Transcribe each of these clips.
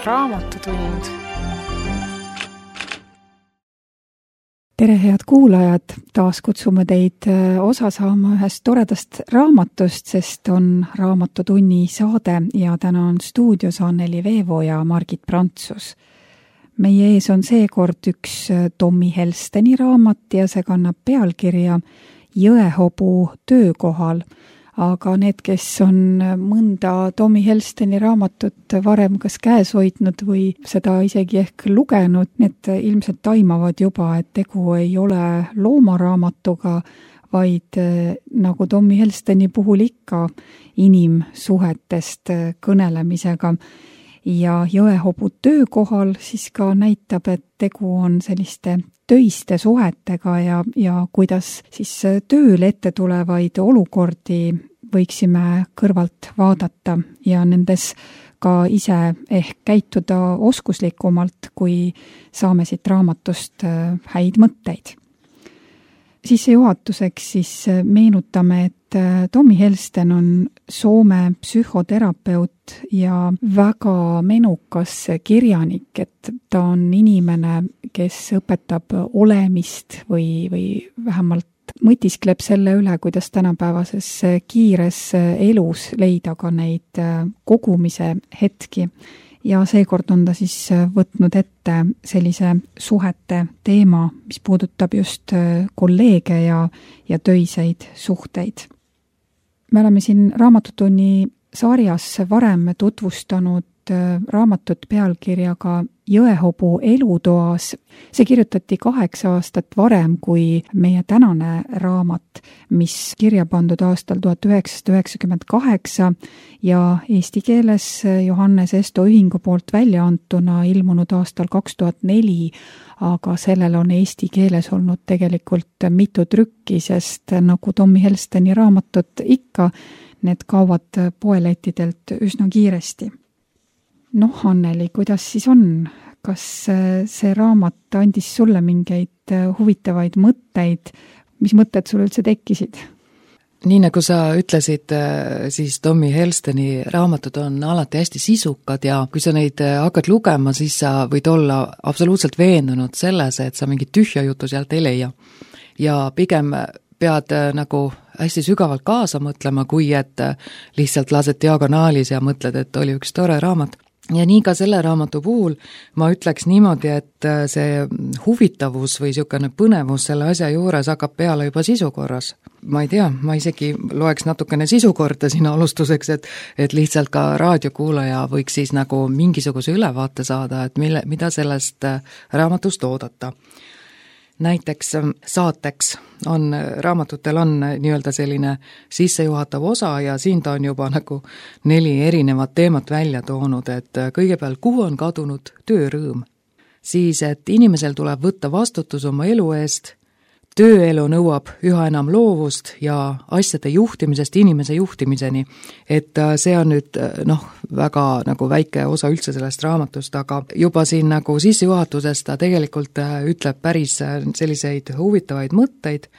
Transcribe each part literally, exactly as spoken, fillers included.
Raamatutund. Tere, head kuulajad! Taas kutsume teid osa saama ühest toredast raamatust, sest on Raamatutunni saade ja täna on stuudios Anneli Veevo ja Margit Prantsus. Meie ees on seekord üks Tommy Helsteni raamat ja see kannab pealkirja Jõehobu töökohal. Aga need, kes on mõnda Tommy Helsteni raamatut varem kas käes hoidnud või seda isegi ehk lugenud, need ilmselt taimavad juba, et tegu ei ole loomaraamatuga, vaid nagu Tommy Helsteni puhul ikka inimsuhetest kõnelemisega. Ja Jõehobu töökohal siis ka näitab, et tegu on selliste töiste suhetega ja, ja kuidas siis tööl ette tulevaid olukordi võiksime kõrvalt vaadata ja nendes ka ise ehk käituda oskuslikumalt, kui saame siit raamatust häid mõtteid. Sissejuhatuseks siis meenutame, et Tommy Helsten on Soome psühhoterapeut ja väga menukas kirjanik, et ta on inimene, kes õpetab olemist või, või vähemalt mõtiskleb selle üle, kuidas tänapäevases kiires elus leida ka neid kogumise hetki. Ja seekord on ta siis võtnud ette sellise suhete teema, mis puudutab just kolleege ja, ja töiseid suhteid. Me oleme siin Raamatutunni sarjas varem tutvustanud raamatut pealkirjaga Jõehobu elutoas. See kirjutati kaheksa aastat varem kui meie tänane raamat, mis kirja pandud aastal tuhat üheksasada üheksakümmend kaheksa ja eesti keeles Johannes Esto ühingu poolt välja antuna ilmunud aastal kaks tuhat neli, aga sellel on eesti keeles olnud tegelikult mitu trükki, sest nagu Tommy Helsteni raamatud ikka, need kaovad poelettidelt üsna kiiresti. Noh, Anneli, kuidas siis on? Kas see raamat andis sulle mingeid huvitavaid mõtteid? Mis mõtted sul üldse tekkisid? Nii nagu sa ütlesid, siis Tommy Helsteni raamatud on alati hästi sisukad ja kui sa neid hakkad lugema, siis sa võid olla absoluutselt veendunud selles, et sa mingit tühja jutu sealt ei leia. Ja pigem pead nagu hästi sügavalt kaasa mõtlema, kui et lihtsalt lased diagonaalis ja mõtled, et oli üks tore raamat. Ja nii ka selle raamatu puhul ma ütleks niimoodi, et see huvitavus või niisugune põnevus selle asja juures hakkab peale juba sisukorras. Ma ei tea, ma isegi loeks natukene sisukorda siin alustuseks, et, et lihtsalt ka raadiokuulaja võiks siis nagu mingisuguse ülevaate saada, et mille, mida sellest raamatust oodata. Näiteks saateks on, raamatutel on nii-öelda selline sissejuhatav osa ja siin ta on juba nagu neli erinevat teemat välja toonud, et kõigepealt, kuhu on kadunud töörõõm. Siis, et inimesel tuleb võtta vastutus oma elu eest, tööelu nõuab üha enam loovust ja asjade juhtimisest inimese juhtimiseni. Et see on nüüd noh, väga nagu väike osa üldse sellest raamatust, aga juba siin nagu sissejuhatuses ta tegelikult ütleb päris selliseid huvitavaid mõtteid.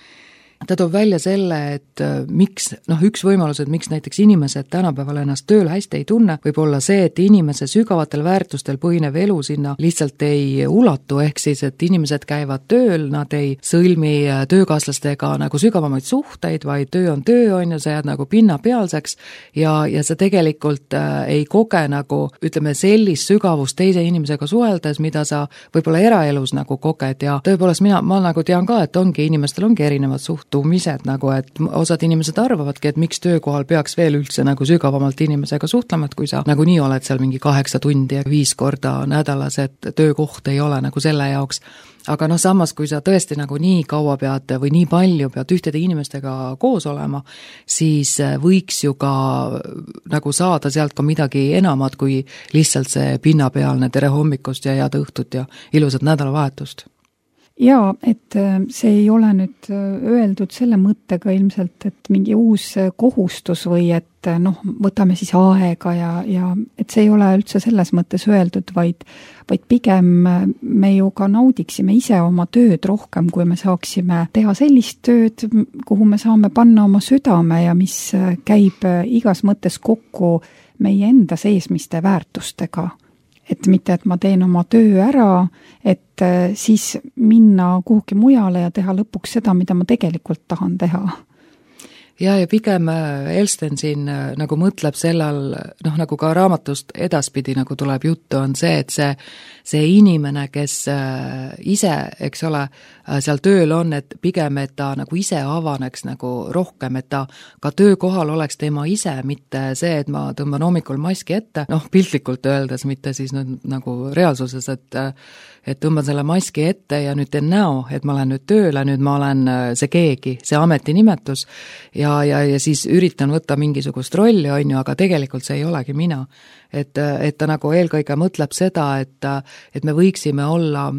Ta toob välja selle, et miks, noh üks võimalus, et miks näiteks inimesed tänapäeval ennast tööl hästi ei tunne, võib olla see, et inimese sügavatel väärtustel põhinev elu sinna lihtsalt ei ulatu, ehk siis, et inimesed käivad tööl, nad ei sõlmi töökaaslastega nagu sügavamaid suhteid, vaid töö on töö, on ju, sa jääd nagu pinnapealseks ja, ja sa tegelikult ei koge nagu, ütleme, sellist sügavust teise inimesega suheldes, mida sa võib-olla eraelus nagu koged ja tõepoolest mina, ma nagu tean ka, et ongi, inimestel ongi erinevad suht tumised nagu, et osad inimesed arvavadki, et miks töökohal peaks veel üldse nagu sügavamalt inimesega suhtlema, et kui sa nagu nii oled seal mingi kaheksa tundi ja viis korda nädalas, et töökoht ei ole nagu selle jaoks. Aga noh, samas kui sa tõesti nagu nii kaua pead või nii palju pead ühtede inimestega koos olema, siis võiks ju ka nagu saada sealt ka midagi enamat kui lihtsalt see pinnapealne tere hommikust ja head õhtut ja ilusat nädalavahetust. Jaa, et see ei ole nüüd öeldud selle mõttega ilmselt, et mingi uus kohustus või et noh, võtame siis aega ja, ja et see ei ole üldse selles mõttes öeldud, vaid, vaid pigem me ju ka naudiksime ise oma tööd rohkem, kui me saaksime teha sellist tööd, kuhu me saame panna oma südame ja mis käib igas mõttes kokku meie enda seesmiste väärtustega. et mitte, et ma teen oma töö ära, et siis minna kuhugi mujale ja teha lõpuks seda, mida ma tegelikult tahan teha. Ja, ja pigem Elsten siin nagu mõtleb sellal, noh nagu ka raamatust edaspidi nagu tuleb juttu, on see, et see, see inimene, kes ise, eks ole, seal tööl on, et pigem, et ta nagu ise avaneks nagu rohkem, et ta ka töökohal oleks tema ise, mitte see, et ma tõmban hommikul maski ette, noh piltlikult öeldes, mitte siis nüüd nagu reaalsuses, et et tõmban selle maski ette ja nüüd teen näo, et ma olen nüüd tööle, nüüd ma olen see keegi, see ametinimetus ja, ja, ja siis üritan võtta mingisugust rolli, on ju, aga tegelikult see ei olegi mina. Et, et ta nagu eelkõige mõtleb seda, et, et me võiksime olla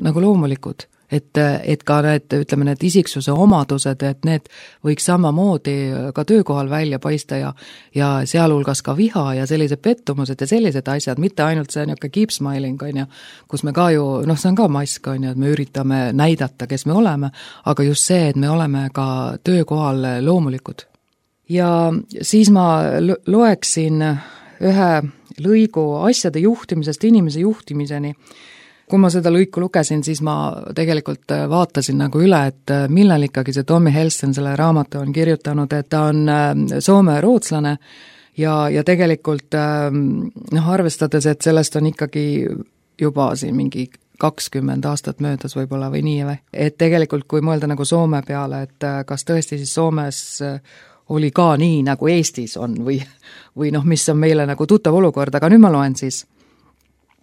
nagu loomulikud, et, et ka need, ütleme, need isiksuse omadused, et need võiks samamoodi ka töökohal välja paista ja, ja sealhulgas ka viha ja sellised pettumused ja sellised asjad, mitte ainult see niisugune keep smiling, on ju, kus me ka ju, noh, see on ka mask, on ju, et me üritame näidata, kes me oleme, aga just see, et me oleme ka töökohal loomulikud. Ja siis ma loeksin ühe lõigu asjade juhtimisest inimese juhtimiseni. Kui ma seda lõiku lugesin, siis ma tegelikult vaatasin nagu üle, et millal ikkagi see Tommy Helsten selle raamatu on kirjutanud, et ta on Soome rootslane ja, ja tegelikult noh, arvestades, et sellest on ikkagi juba siin mingi kakskümmend aastat möödas võib-olla või nii või. Et tegelikult kui mõelda nagu Soome peale, et kas tõesti siis Soomes oli ka nii, nagu Eestis on või, või noh, mis on meile nagu tuttav olukord, aga nüüd ma loen siis.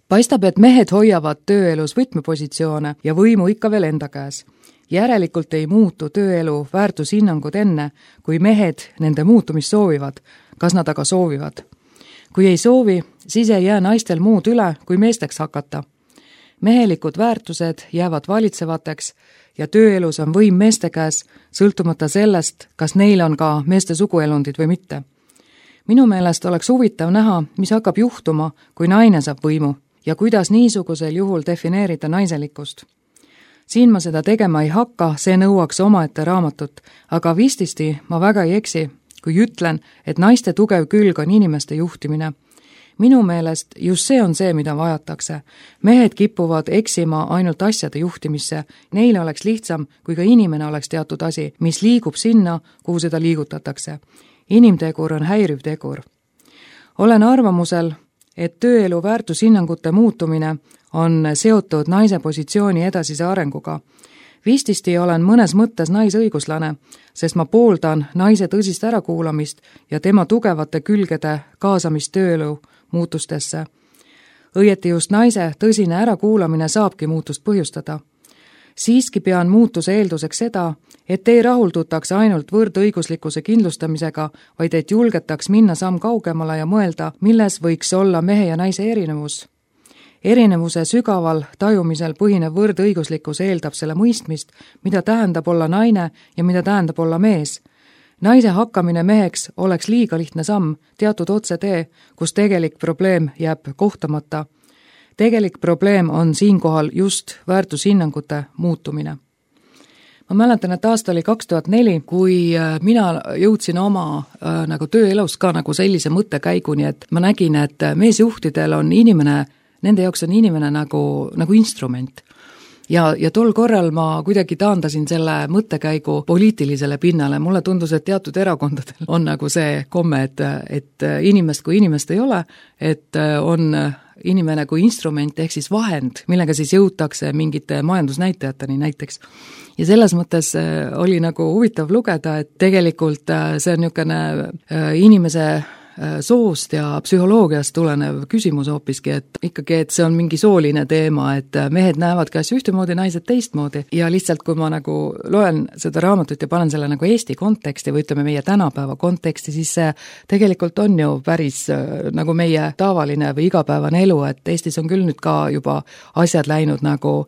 Paistab, et mehed hoiavad tööelus võtmepositsioone ja võimu ikka veel enda käes. Järelikult ei muutu tööelu väärtushinnangud enne, kui mehed nende muutumist soovivad, kas nad aga soovivad. Kui ei soovi, siis ei jää naistel muud üle, kui meesteks hakata. Mehelikud väärtused jäävad valitsevateks ja tööelus on võim meeste käes, sõltumata sellest, kas neil on ka meeste suguelundid või mitte. Minu meelest oleks huvitav näha, mis hakkab juhtuma, kui naine saab võimu ja kuidas niisugusel juhul defineerida naiselikkust. Siin ma seda tegema ei hakka, see nõuaks omaette raamatut, aga vististi ma väga ei eksi, kui ütlen, et naiste tugev külg on inimeste juhtimine. Minu meelest just see on see, mida vajatakse. Mehed kipuvad eksima ainult asjade juhtimisse. Neile oleks lihtsam, kui ka inimene oleks teatud asi, mis liigub sinna, kuhu seda liigutatakse. Inimtegur on häiriv tegur. Olen arvamusel, et tööelu väärtushinnangute muutumine on seotud naise positsiooni edasise arenguga. Vististi olen mõnes mõttes naisõiguslane, sest ma pooldan naise tõsist ärakuulamist ja tema tugevate külgede kaasamist tööelu muutustesse. Õieti just naise tõsine ärakuulamine saabki muutust põhjustada. Siiski pean muutuse eelduseks seda, et ei rahuldutaks ainult võrdõiguslikkuse kindlustamisega, vaid et julgetaks minna samm kaugemale ja mõelda, milles võiks olla mehe ja naise erinevus. Erinevuse sügaval tajumisel põhinev võrdõiguslikkus eeldab selle mõistmist, mida tähendab olla naine ja mida tähendab olla mees. Naise hakkamine meheks oleks liiga lihtne samm, teatud otsetee, kus tegelik probleem jääb kohtamata. Tegelik probleem on siinkohal just väärtushinnangute muutumine. Ma mäletan, et aasta oli kaks tuhat neli, kui mina jõudsin oma äh, nagu tööelus ka nagu sellise mõttekäiguni, et ma nägin, et meesjuhtidel on inimene, nende jaoks on inimene nagu, nagu instrument. Ja, ja tol korral ma kuidagi taandasin selle mõttekäigu poliitilisele pinnale. Mulle tundus, et teatud erakondadel on nagu see komme, et, et inimest kui inimest ei ole, et on inimene kui instrument ehk siis vahend, millega siis jõutakse mingite majandusnäitajateni näiteks. Ja selles mõttes oli nagu huvitav lugeda, et tegelikult see on niisugune inimese soost ja psühholoogiast tulenev küsimus hoopiski, et ikkagi, et see on mingi sooline teema, et mehed näevad kas ühtemoodi, naised teistmoodi ja lihtsalt kui ma nagu loen seda raamatut ja panen selle nagu Eesti konteksti või ütleme meie tänapäeva konteksti, siis see tegelikult on ju päris nagu meie tavaline või igapäevane elu, et Eestis on küll nüüd ka juba asjad läinud nagu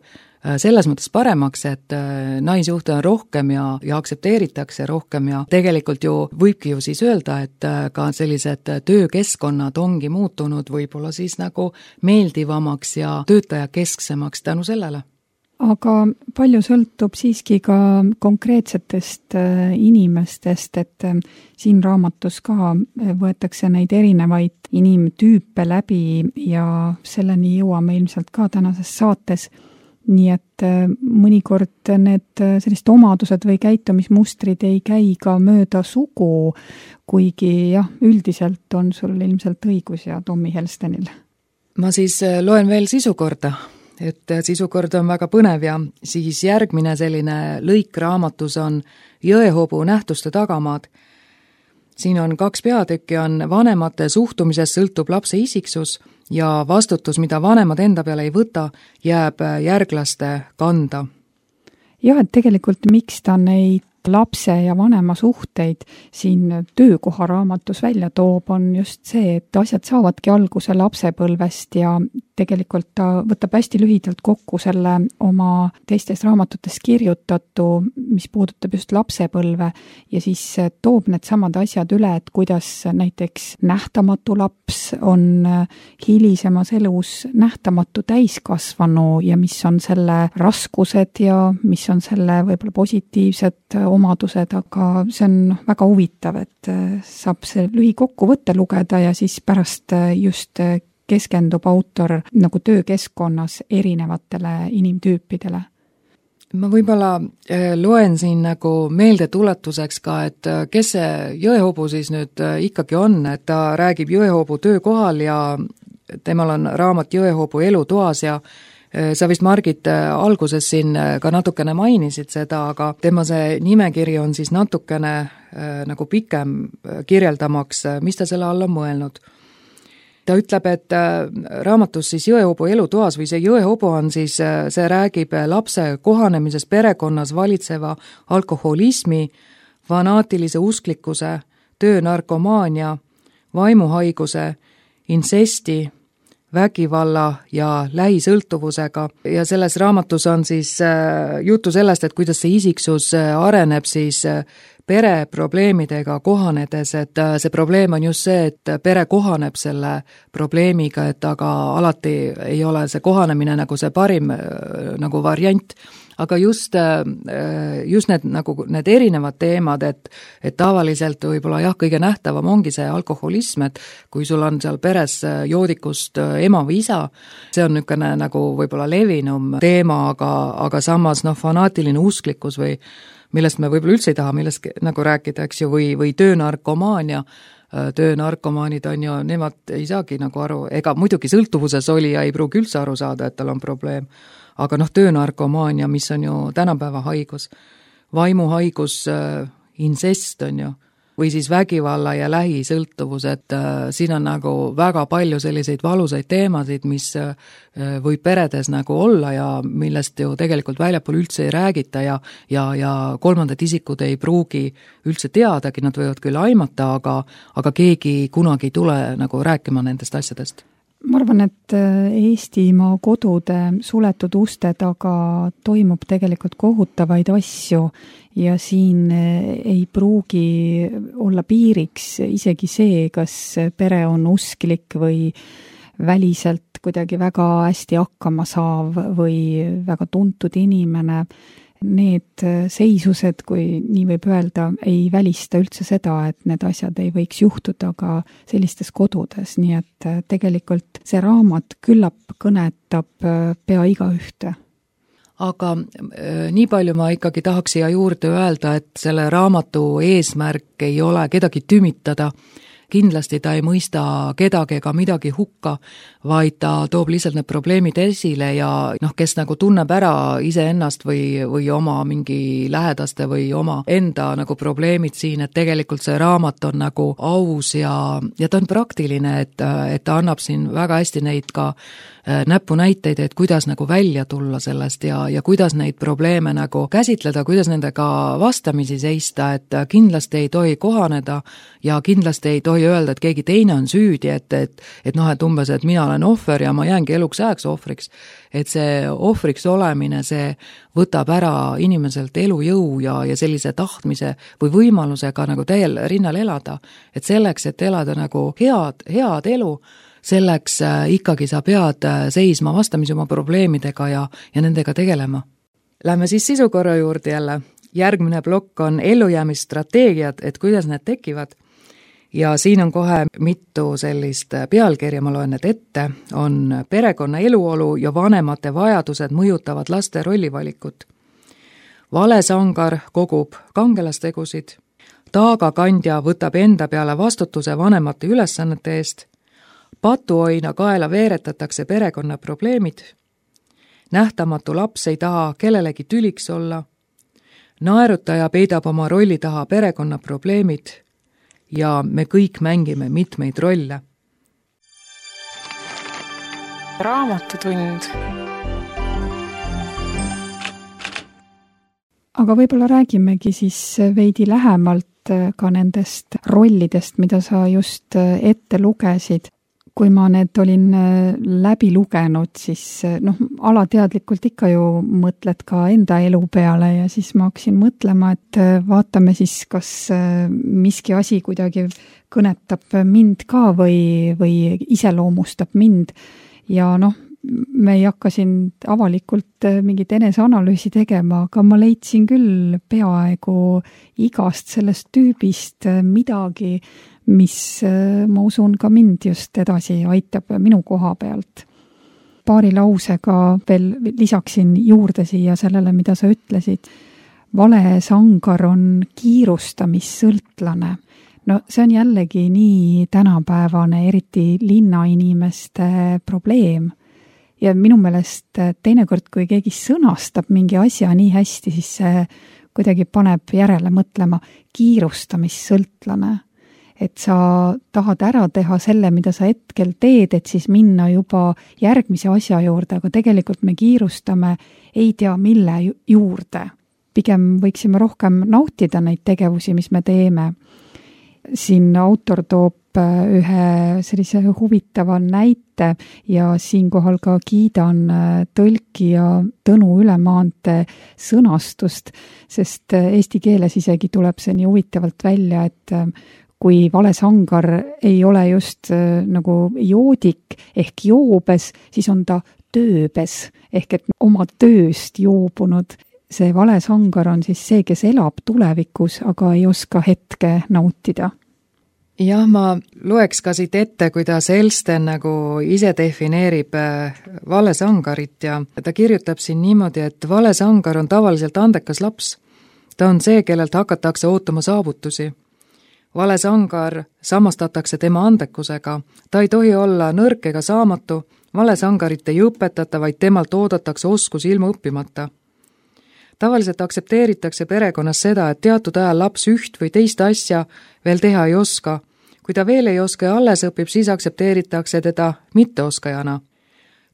selles mõttes paremaks, et naisjuhte on rohkem ja, ja aktsepteeritakse rohkem ja tegelikult ju võibki ju siis öelda, et ka sellised töökeskkonnad ongi muutunud võib-olla siis nagu meeldivamaks ja töötajakesksemaks tänu sellele. aga palju sõltub siiski ka konkreetsetest inimestest, et siin raamatus ka võetakse neid erinevaid inimtüüpe läbi ja selleni jõuame ilmselt ka tänases saates. Nii et mõnikord need sellised omadused või käitumismustrid ei käi ka mööda sugu, kuigi jah, üldiselt on sul ilmselt õigus ja Tommy Helstenil. Ma siis loen veel sisukorda. Et sisukord on väga põnev ja siis järgmine selline lõik raamatus on jõehobu nähtuste tagamaad. Siin on kaks peatükki, on vanemate suhtumisest sõltub lapse isiksus ja vastutus, mida vanemad enda peale ei võta, jääb järglaste kanda. Jah, et tegelikult miks ta neid lapse ja vanema suhteid siin töökoha raamatus välja toob, on just see, et asjad saavadki alguse lapsepõlvest ja tegelikult ta võtab hästi lühidalt kokku selle oma teistes raamatutes kirjutatu, mis puudutab just lapsepõlve ja siis toob need samad asjad üle, et kuidas näiteks nähtamatu laps on hilisemas elus nähtamatu täiskasvanu ja mis on selle raskused ja mis on selle võib-olla positiivsed omadused, aga see on väga huvitav, et saab see lühikokkuvõtte lugeda ja siis pärast just keskendub autor nagu töökeskkonnas erinevatele inimtüüpidele. Ma võib-olla loen siin nagu meeldetuletuseks ka, et kes see jõehobu siis nüüd ikkagi on, et ta räägib jõehobu töökohal ja temal on raamat Jõehobu elutoas ja sa vist, Margit, alguses siin ka natukene mainisid seda, aga tema see nimekiri on siis natukene nagu pikem kirjeldamaks, mis ta selle all on mõelnud. Ta ütleb, et raamatus siis Jõehobu elutoas või see jõehobu on siis, see räägib lapse kohanemisest perekonnas valitseva alkoholismi, fanaatilise usklikkuse, töönarkomaania, vaimuhaiguse, insesti, vägivalla ja lähisõltuvusega ja selles raamatus on siis juttu sellest, et kuidas see isiksus areneb siis pere probleemidega kohanedes, et see probleem on just see, et pere kohaneb selle probleemiga, et aga alati ei ole see kohanemine nagu see parim nagu variant, aga just, just need, nagu need erinevad teemad, et, et tavaliselt võib-olla jah, kõige nähtavam ongi see alkoholism, et kui sul on seal peres joodikust ema või isa, see on niisugune nagu võib-olla levinum teema, aga, aga samas noh, fanaatiline usklikkus või millest me võib-olla üldse ei taha, millest nagu rääkida, eks ju, või, või töönarkomaania, töönarkomaanid on ju, nemad ei saagi nagu aru, ega muidugi sõltuvuses oli ja ei pruugi üldse aru saada, et tal on probleem, aga noh, töönarkomaania, mis on ju tänapäeva haigus, vaimuhaigus, insest on ju, või siis vägivalla ja lähisõltuvus, et äh, siin on nagu väga palju selliseid valusaid teemasid, mis äh, võib peredes nagu olla ja millest ju tegelikult väljapool üldse ei räägita ja, ja, ja kolmandad isikud ei pruugi üldse teadagi, nad võivad küll aimata, aga, aga keegi kunagi ei tule nagu rääkima nendest asjadest. Ma arvan, et Eestimaa kodude suletud uste taga toimub tegelikult kohutavaid asju ja siin ei pruugi olla piiriks isegi see, kas pere on usklik või väliselt kuidagi väga hästi hakkama saav või väga tuntud inimene. Need seisused, kui nii võib öelda, ei välista üldse seda, et need asjad ei võiks juhtuda ka sellistes kodudes, nii et tegelikult see raamat küllap kõnetab pea igaühte. Aga nii palju ma ikkagi tahaks siia juurde öelda, et selle raamatu eesmärk ei ole kedagi tümitada, kindlasti ta ei mõista kedagi ega midagi hukka, vaid ta toob lihtsalt need probleemid esile ja noh, kes nagu tunneb ära iseennast või, või oma mingi lähedaste või oma enda nagu probleemid siin, et tegelikult see raamat on nagu aus ja, ja ta on praktiline, et, et ta annab siin väga hästi neid ka näpunäiteid, et kuidas nagu välja tulla sellest ja, ja kuidas neid probleeme nagu käsitleda, kuidas nendega vastamisi seista, et kindlasti ei tohi kohaneda ja kindlasti ei tohi öelda, et keegi teine on süüdi, et, et, et noh, et umbes, et mina olen ohver ja ma jäängi eluks ajaks ohvriks. Et see ohvriks olemine, see võtab ära inimeselt elujõu ja, ja sellise tahtmise või võimalusega nagu täiel rinnal elada. Et selleks, et elada nagu head, head elu, selleks ikkagi sa pead seisma vastamisi oma probleemidega ja, ja nendega tegelema. Lähme siis sisukorra juurde jälle. Järgmine plokk on ellujäämisstrateegiad, et kuidas need tekivad. Ja siin on kohe mitu sellist pealkirja, ma loen need ette, on perekonna eluolu ja vanemate vajadused mõjutavad laste rollivalikut. Valesangar kogub kangelastegusid, taagakandja võtab enda peale vastutuse vanemate ülesannete eest, patuoina kaela veeretatakse perekonna probleemid, nähtamatu laps ei taha kellelegi tüliks olla, naerutaja peidab oma rolli taha perekonna probleemid ja me kõik mängime mitmeid rolle. Raamatutund. Aga võib-olla räägimegi siis veidi lähemalt ka nendest rollidest, mida sa just ette lugesid. Kui ma need olin läbi lugenud, siis noh, alateadlikult ikka ju mõtled ka enda elu peale ja siis ma hakkasin mõtlema, et vaatame siis, kas miski asi kuidagi kõnetab mind ka või, või iseloomustab mind. Ja noh, me ei hakka siin avalikult mingit eneseanalüüsi tegema, aga ma leidsin küll peaaegu igast sellest tüübist midagi, mis ma usun ka mind just edasi aitab minu koha pealt. Paari lausega veel lisaksin juurde siia sellele, mida sa ütlesid. Valesangar on kiirustamissõltlane. No see on jällegi nii tänapäevane, eriti linnainimeste probleem. Ja minu meelest teinekord, kui keegi sõnastab mingi asja nii hästi, siis see kuidagi paneb järele mõtlema kiirustamissõltlane. Et sa tahad ära teha selle, mida sa hetkel teed, et siis minna juba järgmise asja juurde, aga tegelikult me kiirustame ei tea mille juurde. Pigem võiksime rohkem nautida neid tegevusi, mis me teeme. Siin autor toob ühe sellise huvitava näite ja siinkohal ka kiidan tõlkija Tõnu Ülemaante sõnastust, sest eesti keeles isegi tuleb see nii huvitavalt välja, et kui valesangar ei ole just nagu joodik ehk joobes, siis on ta tööbes ehk et oma tööst joobunud. See valesangar on siis see, kes elab tulevikus, aga ei oska hetke nautida. Jah, ma loeks ka siit ette, kuidas Elsten nagu ise defineerib valesangarit ja ta kirjutab siin niimoodi, et valesangar on tavaliselt andekas laps. Ta on see, kellelt hakatakse ootama saavutusi. Valesangar samastatakse tema andekusega. Ta ei tohi olla nõrk ega saamatu. Valesangarit ei õpetata, vaid temalt oodatakse oskus ilma õppimata. Tavaliselt aktsepteeritakse perekonnas seda, et teatud ajal laps üht või teist asja veel teha ei oska. Kui ta veel ei oska ja alles õpib, siis aktsepteeritakse teda mitteoskajana.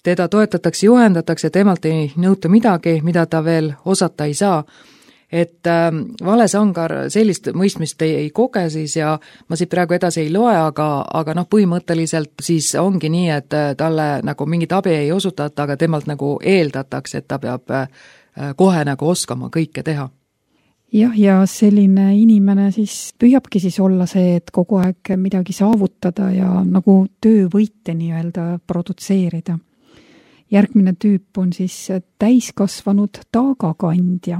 Teda toetatakse, juhendatakse, temalt ei nõuta midagi, mida ta veel osata ei saa. Et äh, valesangar sellist mõistmist ei, ei koge siis ja ma siit praegu edasi ei loe, aga, aga noh, põhimõtteliselt siis ongi nii, et talle nagu mingit abi ei osutata, aga temalt nagu eeldatakse, et ta peab äh, kohe nagu oskama kõike teha. Jah, ja selline inimene siis püüabki siis olla see, et kogu aeg midagi saavutada ja nagu töövõite nii-öelda produtseerida. Järgmine tüüp on siis täiskasvanud taagakandja,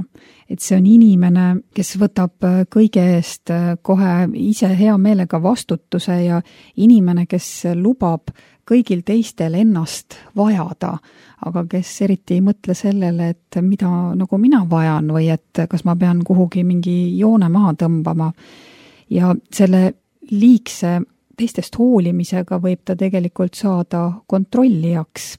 et see on inimene, kes võtab kõige eest kohe ise hea meelega vastutuse ja inimene, kes lubab kõigil teistel ennast vajada, aga kes eriti ei mõtle sellele, et mida nagu mina vajan või et kas ma pean kuhugi mingi joone maha tõmbama. Ja selle liigse teistest hoolimisega võib ta tegelikult saada kontrollijaks.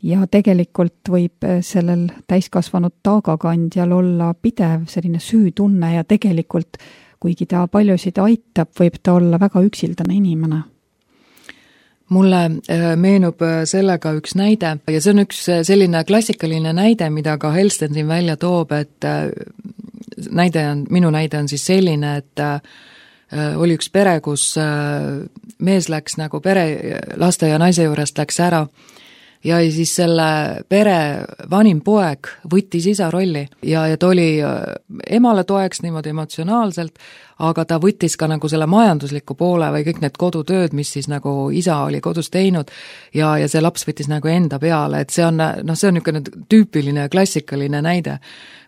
Ja tegelikult võib sellel täiskasvanud taagakandjal olla pidev selline süütunne ja tegelikult, kuigi ta paljusid aitab, võib ta olla väga üksildane inimene. Mulle meenub sellega üks näide ja see on üks selline klassikaline näide, mida ka Elsten siin välja toob, et näide on, minu näide on siis selline, et oli üks pere, kus mees läks nagu pere, laste ja naise juurest läks ära ja siis selle pere vanim poeg võttis isa rolli ja, ja ta oli emale toeks niimoodi emotsionaalselt, aga ta võttis ka nagu selle majandusliku poole või kõik need kodutööd, mis siis nagu isa oli kodus teinud ja, ja see laps võttis nagu enda peale, et see on, noh, see on niisugune tüüpiline klassikaline näide,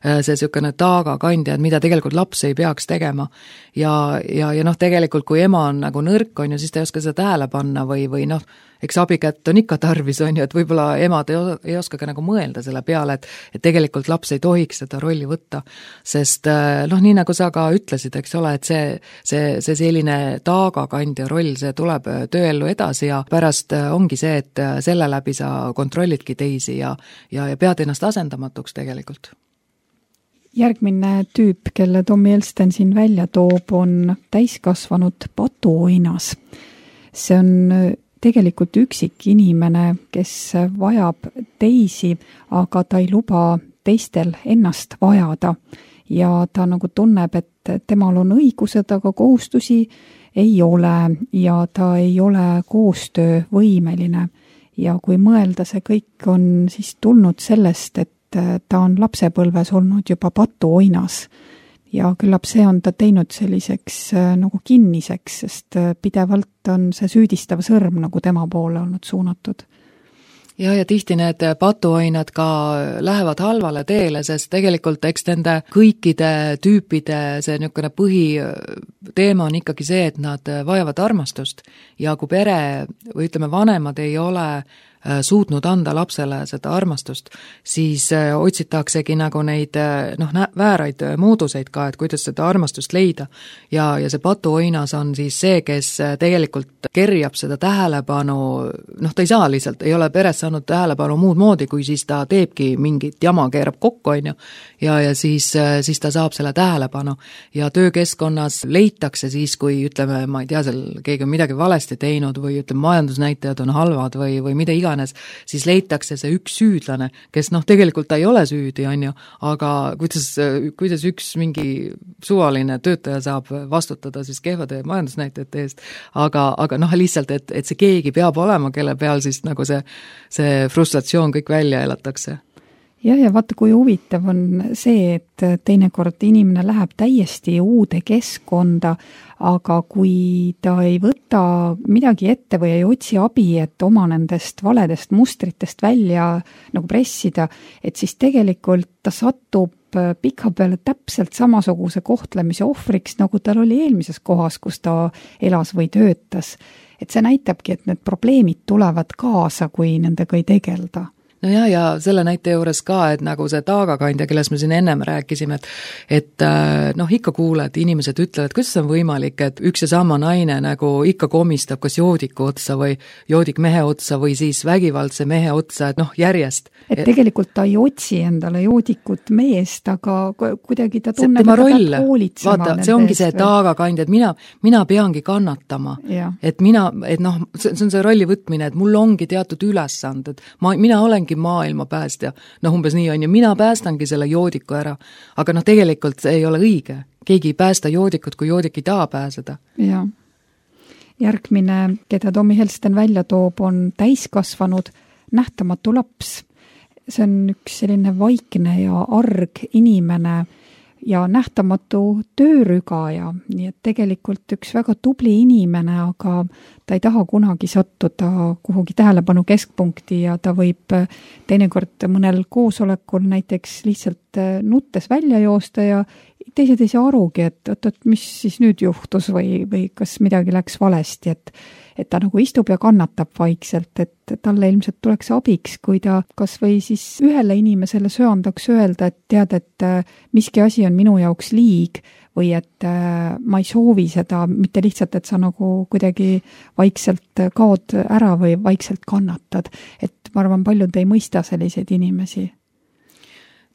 see niisugune taagakandja, mida tegelikult laps ei peaks tegema. Ja, ja, ja noh, tegelikult kui ema on nagu nõrk, on ju, siis ta ei oska seda tähele panna või, või noh, eks abikätt on ikka tarvis, on ju, et võib-olla emad ei, os ei oska ka nagu mõelda selle peale, et, et tegelikult laps ei tohiks seda rolli võtta, sest noh, nii nagu sa ka ütlesid, eks ole, et see, see, see selline taagakandja roll, see tuleb tööellu edasi ja pärast ongi see, et selle läbi sa kontrollidki teisi ja, ja, ja pead ennast asendamatuks tegelikult. Järgmine tüüp, kelle Tommy Elsten siin välja toob, on täiskasvanud patuoinas. See on tegelikult üksik inimene, kes vajab teisi, aga ta ei luba teistel ennast vajada. Ja ta nagu tunneb, et temal on õigused, aga kohustusi ei ole ja ta ei ole koostöövõimeline. Ja kui mõelda, see kõik on siis tulnud sellest, et ta on lapsepõlves olnud juba patuoinas ja küllap see on ta teinud selliseks nagu kinniseks, sest pidevalt on see süüdistav sõrm nagu tema poole olnud suunatud. Ja, ja tihti need patuoinad ka lähevad halvale teele, sest tegelikult eks nende kõikide tüüpide see niisugune põhiteema on ikkagi see, et nad vajavad armastust ja kui pere või ütleme, vanemad ei ole suutnud anda lapsele seda armastust, siis otsitaksegi nagu neid noh, vääraid mooduseid ka, et kuidas seda armastust leida. Ja, ja see patuoinas on siis see, kes tegelikult kerjab seda tähelepanu, noh, ta ei saa lihtsalt, ei ole peres saanud tähelepanu muud moodi, kui siis ta teebki mingit jama, keerab kokku, on ju, ja, ja siis, siis ta saab selle tähelepanu. Ja töökeskkonnas leitakse siis, kui ütleme, ma ei tea, seal keegi on midagi valesti teinud või ütleme, majandusnäitajad on halvad või, või mida iga siis leitakse see üks süüdlane, kes noh, tegelikult ta ei ole süüdi, on ju, aga kuidas, kuidas üks mingi suvaline töötaja saab vastutada siis kehvade majandusnäitajate eest, aga, aga noh, lihtsalt, et, et see keegi peab olema, kelle peal siis nagu see, see frustratsioon kõik välja elatakse. Jah, ja vaata, kui huvitav on see, et teinekord inimene läheb täiesti uude keskkonda, aga kui ta ei võta midagi ette või ei otsi abi, et oma nendest valedest mustritest välja nagu pressida, et siis tegelikult ta satub pika peale täpselt samasuguse kohtlemise ohvriks, nagu tal oli eelmises kohas, kus ta elas või töötas. Et see näitabki, et need probleemid tulevad kaasa, kui nendega ei tegelda. No ja, ja selle näite juures ka, et nagu see taagakandja, kelles me siin ennem rääkisime, et, et noh, ikka kuuled, inimesed ütlevad, kuidas on võimalik, et üks ja sama naine nagu ikka komistab kas joodiku otsa või joodik mehe otsa või siis vägivaldse mehe otsa, et noh, järjest. Et tegelikult ta ei otsi endale joodikut meest, aga kuidagi ta tunneb, et ta peab hoolitsema. Vaata, see ongi see taagakandja, et mina, mina peangi kannatama. Ja. Et mina, et noh, see on see rolli võtmine, et mul ongi teatud ülesanded. Ma, mina olengi maailma päästja. Noh, umbes nii on ja mina päästangi selle joodiku ära. Aga noh, tegelikult see ei ole õige. Keegi ei päästa joodikut, kui joodik ei taha pääseda. Ja. Järgmine, keda Tommy Elsten välja toob, on täiskasvanud nähtamatu laps. See on üks selline vaikne ja arg inimene ja nähtamatu töörügaja, nii et tegelikult üks väga tubli inimene, aga ta ei taha kunagi sattuda kuhugi tähelepanu keskpunkti ja ta võib teinekord mõnel koosolekul näiteks lihtsalt nuttes välja joosta ja teised ei saa arugi, et, et, et mis siis nüüd juhtus või, või kas midagi läks valesti, et et ta nagu istub ja kannatab vaikselt, et talle ilmselt tuleks abiks, kui ta kas või siis ühele inimesele söandaks öelda, et tead, et miski asi on minu jaoks liig või et ma ei soovi seda, mitte lihtsalt, et sa nagu kuidagi vaikselt kaod ära või vaikselt kannatad. Et ma arvan, paljud ei mõista selliseid inimesi.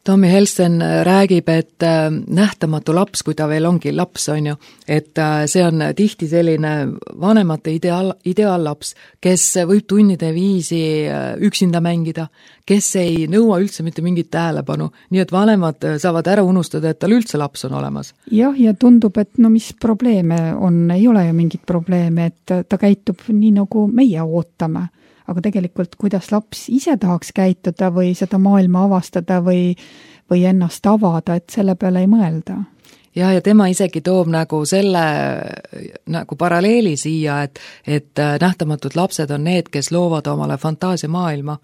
Tommy Elsten räägib, et nähtamatu laps, kui ta veel ongi laps, on ju, et see on tihti selline vanemate ideaal, ideaallaps, kes võib tunnide viisi üksinda mängida, kes ei nõua üldse mitte mingit tähelepanu, nii et vanemad saavad ära unustada, et tal üldse laps on olemas. Jah, ja tundub, et no mis probleeme on, ei ole ju mingit probleeme, et ta käitub nii, nagu meie ootame. Aga tegelikult, kuidas laps ise tahaks käituda või seda maailma avastada või, või ennast avada, et selle peale ei mõelda. ja, ja tema isegi toob nagu selle nagu paralleeli siia, et, et nähtamatud lapsed on need, kes loovad omale fantaasiamaailma,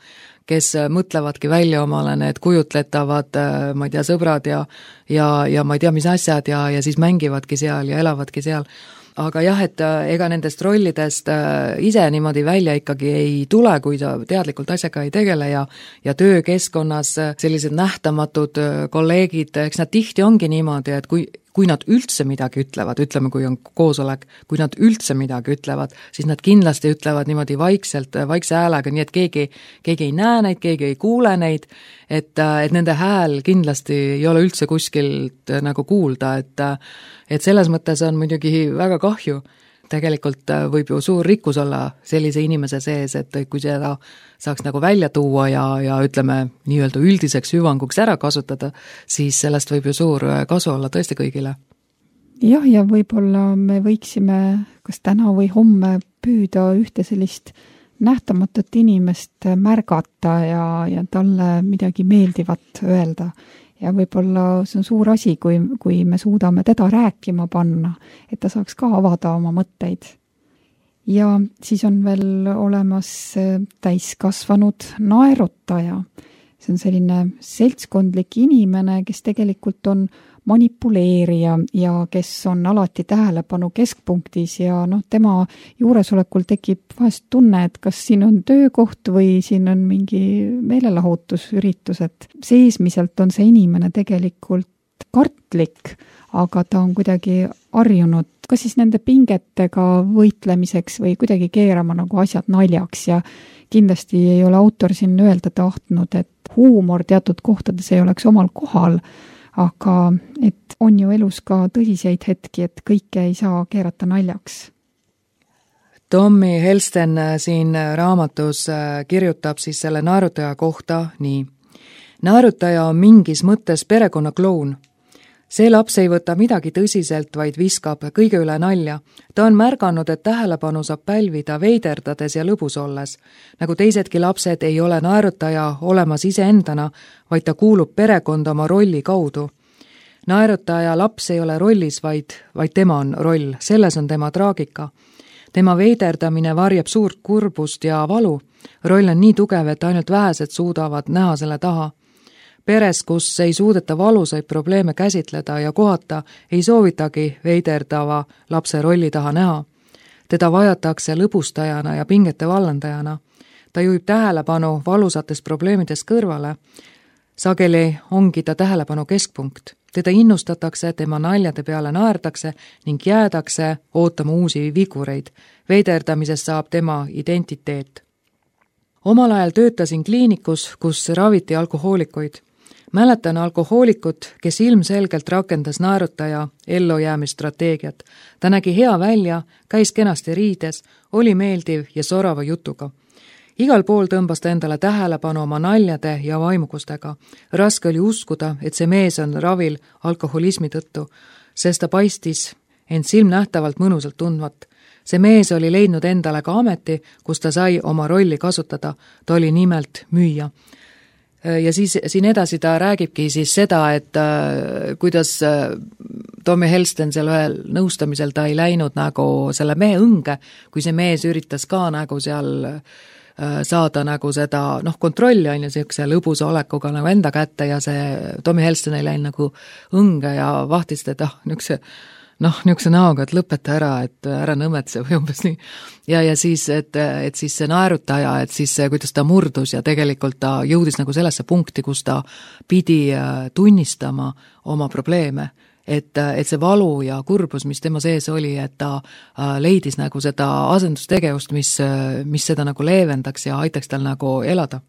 kes mõtlevadki välja omale need kujutletavad, ma ei tea, sõbrad ja, ja, ja ma ei tea, mis asjad ja, ja siis mängivadki seal ja elavadki seal. Aga jah, et ega nendest rollidest ise niimoodi välja ikkagi ei tule, kui ta teadlikult asjaga ei tegele ja, ja töökeskkonnas sellised nähtamatud kolleegid, eks nad tihti ongi niimoodi, et kui, kui nad üldse midagi ütlevad, ütleme, kui on koosolek, kui nad üldse midagi ütlevad, siis nad kindlasti ütlevad niimoodi vaikselt, vaikse häälega, nii et keegi, keegi ei näe neid, keegi ei kuule neid, et, et nende hääl kindlasti ei ole üldse kuskilt nagu kuulda, et, et selles mõttes on muidugi väga kahju. Tegelikult võib ju suur rikkus olla sellise inimese sees, et kui seda saaks nagu välja tuua ja, ja ütleme nii-öelda üldiseks hüvanguks ära kasutada, siis sellest võib ju suur kasu olla tõesti kõigile. Jah, ja võib-olla me võiksime kas täna või homme püüda ühte sellist nähtamatut inimest märgata ja, ja talle midagi meeldivat öelda. Ja võib-olla see on suur asi, kui, kui me suudame teda rääkima panna, et ta saaks ka avada oma mõtteid. Ja siis on veel olemas täiskasvanud naerutaja. See on selline seltskondlik inimene, kes tegelikult on manipuleerija ja kes on alati tähelepanu keskpunktis ja noh, tema juuresolekul tekib vahest tunne, et kas siin on töökoht või siin on mingi meelelahutusüritus, et seesmiselt on see inimene tegelikult kartlik, aga ta on kuidagi harjunud kas siis nende pingetega võitlemiseks või kuidagi keerama nagu asjad naljaks ja kindlasti ei ole autor siin öelda tahtnud, et huumor teatud kohtades ei oleks omal kohal, aga et on ju elus ka tõsiseid hetki, et kõike ei saa keerata naljaks. Tommy Helsten siin raamatus kirjutab siis selle naerutaja kohta nii. Naerutaja on mingis mõttes perekonnakloun. See laps ei võta midagi tõsiselt, vaid viskab kõige üle nalja. Ta on märganud, et tähelepanu saab pälvida veiderdades ja lõbus olles. Nagu teisedki lapsed ei ole naerutaja olemas iseendana, vaid ta kuulub perekonda oma rolli kaudu. Naerutaja laps ei ole rollis, vaid, vaid tema on roll. Selles on tema traagika. Tema veiderdamine varjab suurt kurbust ja valu. Roll on nii tugev, et ainult vähesed suudavad näha selle taha. Peres, kus ei suudeta valusaid probleeme käsitleda ja kohata, ei soovitagi veiderdava lapse rolli taha näha. Teda vajatakse lõbustajana ja pingete vallandajana. Ta juhib tähelepanu valusatest probleemidest kõrvale. Sageli ongi ta tähelepanu keskpunkt. Teda innustatakse, tema naljade peale naerdakse ning jäädakse ootama uusi vigureid. Veiderdamisest saab tema identiteet. Omal ajal töötasin kliinikus, kus raviti alkohoolikuid. Mäletan alkohoolikut, kes ilmselgelt rakendas naerutaja ellujäämisstrateegiat. Ta nägi hea välja, käis kenasti riides, oli meeldiv ja sorava jutuga. Igal pool tõmbas ta endale tähelepanu oma naljade ja vaimukustega. Raske oli uskuda, et see mees on ravil alkoholismi tõttu, sest ta paistis end silmnähtavalt mõnusalt tundvat. See mees oli leidnud endale ka ameti, kus ta sai oma rolli kasutada. Ta oli nimelt müüja. Ja siis siin edasi ta räägibki siis seda, et äh, kuidas äh, Tommy Helsten seal ühel nõustamisel ta ei läinud nagu selle mehe õnge, kui see mees üritas ka nagu seal äh, saada nagu seda noh, kontrolli on ju siukse lõbusa olekuga nagu enda kätte ja see Tommy Helsten ei läinud nagu õnge ja vahtis teda niukse noh, niukse näoga, et lõpeta ära, et ära nõmetse või umbes nii. Ja, ja siis, et, et siis see naerutaja, et siis kuidas ta murdus ja tegelikult ta jõudis nagu sellesse punkti, kus ta pidi tunnistama oma probleeme. Et, et see valu ja kurbus, mis tema sees oli, et ta leidis nagu seda asendustegevust, mis, mis seda nagu leevendaks ja aitaks tal nagu elada.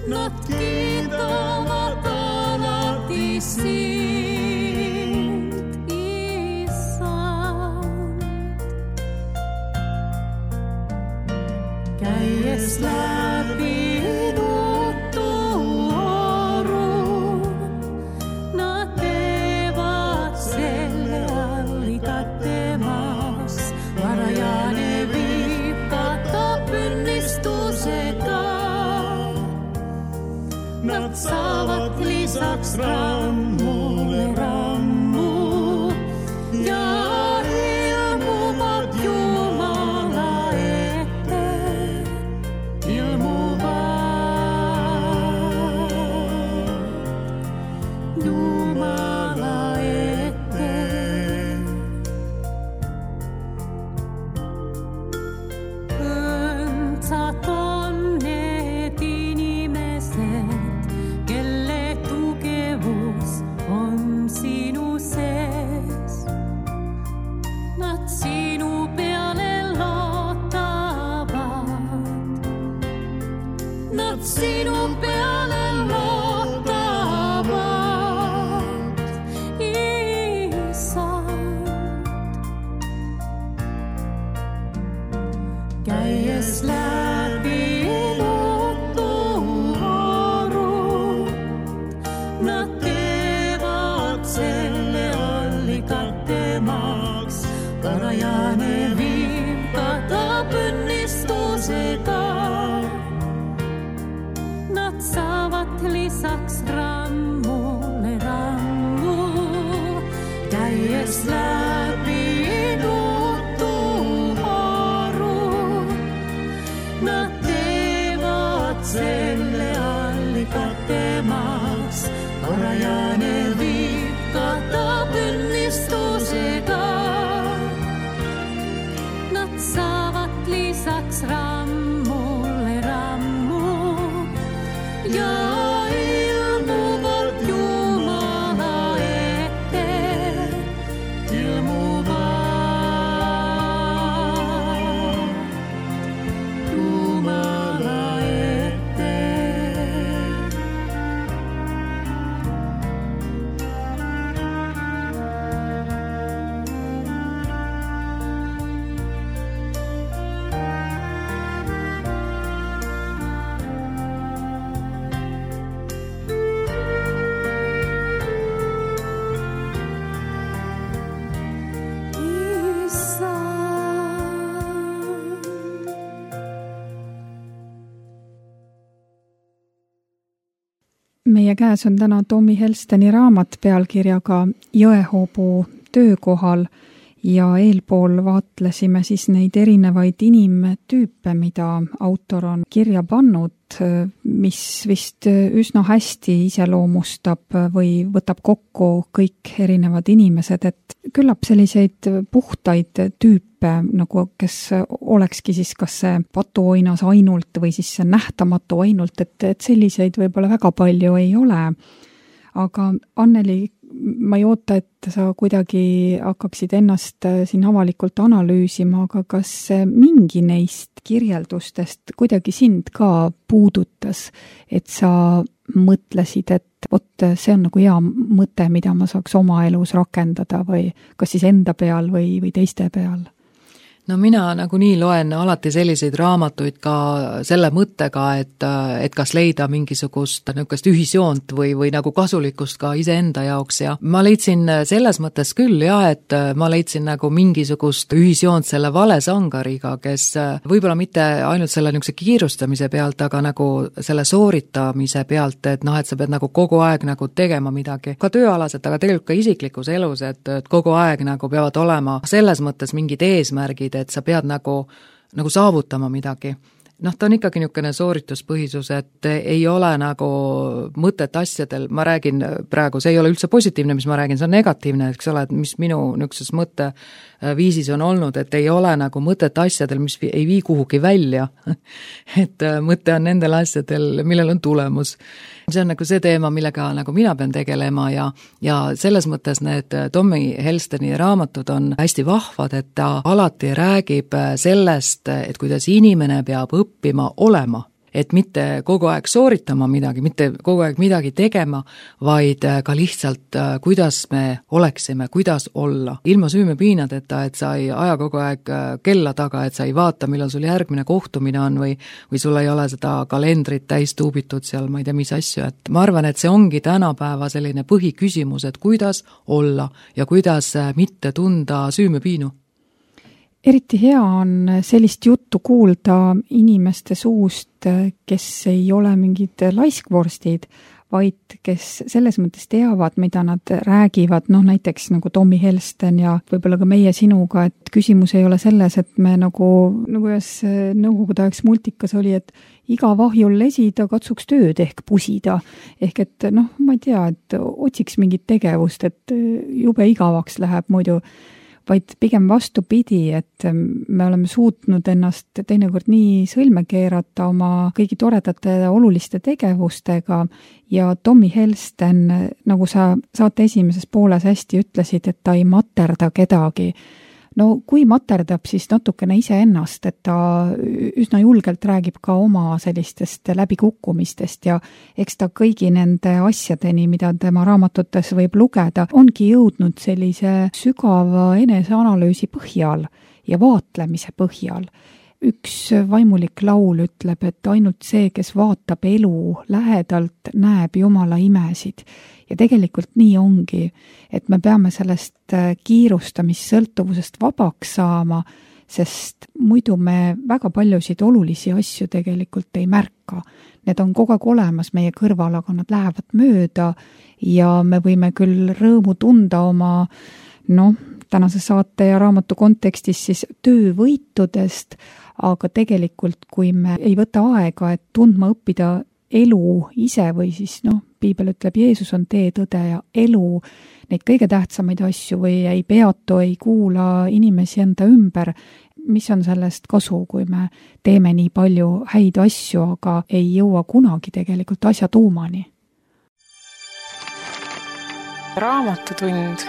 Nad kiitavad alati sind. Nad saavat lisaks rammulle rammu ja ilmuvad Jumala ette, ilmuvad Jumala ette. Õndsad on need inimesed, kelle tugevus on sinu sees. Nad sinu peale loodavad. Nad sinu peale loodavad, Issand. Käies läbi nad teevad selle allikatemaks, varajane viim katab õnnistusega. Nad saavad lisaks rammule rammu, käies läbi nutuharu. Nad teevad selle allikatemaks, varajane viib katab õnnistusega. Nad saavad lisaks rammule rammu ja ilmuvad Jumala ette, ilmuvad Jumala ette. Meie käes on täna Tommy Helsteni raamat pealkirjaga Jõehoobu töökohal ja eelpool vaatlesime siis neid erinevaid inimtüüpe, mida autor on kirja pannud, mis vist üsna hästi iseloomustab või võtab kokku kõik erinevad inimesed, et küllap selliseid puhtaid tüüpe, nagu kes olekski siis kas see patuoinas ainult või siis see nähtamatu ainult, et, et selliseid võib-olla väga palju ei ole. Aga Anneli, ma ei oota, et sa kuidagi hakkaksid ennast siin avalikult analüüsima, aga kas mingi neist kirjeldustest kuidagi sind ka puudutas, et sa mõtlesid, et vot see on nagu hea mõte, mida ma saaks oma elus rakendada või kas siis enda peal või, või teiste peal? No mina nagunii loen alati selliseid raamatuid ka selle mõttega, et, et kas leida mingisugust niisugust ühisjoont või, või nagu kasulikkust ka iseenda jaoks ja ma leidsin selles mõttes küll ja, et ma leidsin nagu mingisugust ühisjoont selle valesangariga, kes võib-olla mitte ainult selle niisuguse kiirustamise pealt, aga nagu selle sooritamise pealt, et noh, et sa pead nagu kogu aeg nagu tegema midagi, ka tööalaselt, aga tegelikult ka isiklikus elus, et, et kogu aeg nagu peavad olema selles mõttes mingid eesmärgid, et sa pead nagu, nagu saavutama midagi. Noh, ta on ikkagi niisugune soorituspõhisus, et ei ole nagu mõtet asjadel, ma räägin praegu, see ei ole üldse positiivne, mis ma räägin, see on negatiivne, eks ole, et mis minu niisuguses mõtteviisis on olnud, et ei ole nagu mõtet asjadel, mis ei vii kuhugi välja. Et mõte on nendel asjadel, millel on tulemus. See on nagu see teema, millega nagu mina pean tegelema ja, ja selles mõttes need Tommy Helsteni raamatud on hästi vahvad, et ta alati räägib sellest, et kuidas inimene peab õppima olema. et mitte kogu aeg sooritama midagi, mitte kogu aeg midagi tegema, vaid ka lihtsalt, kuidas me oleksime, kuidas olla. Ilma süümepiinadeta, et sa ei aja kogu aeg kella taga, et sa ei vaata, millal sul järgmine kohtumine on või, või sul ei ole seda kalendrit täis tuubitud seal, ma ei tea, mis asju. Et ma arvan, et see ongi tänapäeva selline põhiküsimus, et kuidas olla ja kuidas mitte tunda süümepiinu. Eriti hea on sellist juttu kuulda inimeste suust, kes ei ole mingid laiskvorstid, vaid kes selles mõttes teavad, mida nad räägivad, noh näiteks nagu Tommy Helsten ja võib-olla ka meie sinuga, et küsimus ei ole selles, et me nagu, nagu ühes nõukogude ajaks multikas oli, et iga vahjul lesida, katsuks tööd ehk pusida. Ehk et noh, ma ei tea, et otsiks mingit tegevust, et jube igavaks läheb muidu, vaid pigem vastupidi, et me oleme suutnud ennast teinekord nii sõlme keerata oma kõigi toredate oluliste tegevustega ja Tommy Helsten, nagu sa saate esimeses pooles hästi ütlesid, et ta ei materda kedagi. No kui materdab, siis natukene iseennast, et ta üsna julgelt räägib ka oma sellistest läbikukkumistest ja eks ta kõigi nende asjadeni, mida tema raamatutes võib lugeda, ongi jõudnud sellise sügava eneseanalüüsi põhjal ja vaatlemise põhjal. Üks vaimulik laul ütleb, et ainult see, kes vaatab elu lähedalt, näeb Jumala imesid. Ja tegelikult nii ongi, et me peame sellest kiirustamissõltuvusest vabaks saama, sest muidu me väga paljusid olulisi asju tegelikult ei märka. Need on kogu aeg olemas meie kõrval, aga nad lähevad mööda ja me võime küll rõõmu tunda oma, noh, tänase saate ja raamatu kontekstis siis töövõitudest, aga tegelikult, kui me ei võta aega, et tundma õppida elu ise või siis, noh, piibel ütleb, Jeesus on tee, tõde ja elu, neid kõige tähtsamaid asju või ei peatu, ei kuula inimesi enda ümber, mis on sellest kasu, kui me teeme nii palju häid asju, aga ei jõua kunagi tegelikult asja tuumani. Raamatutund.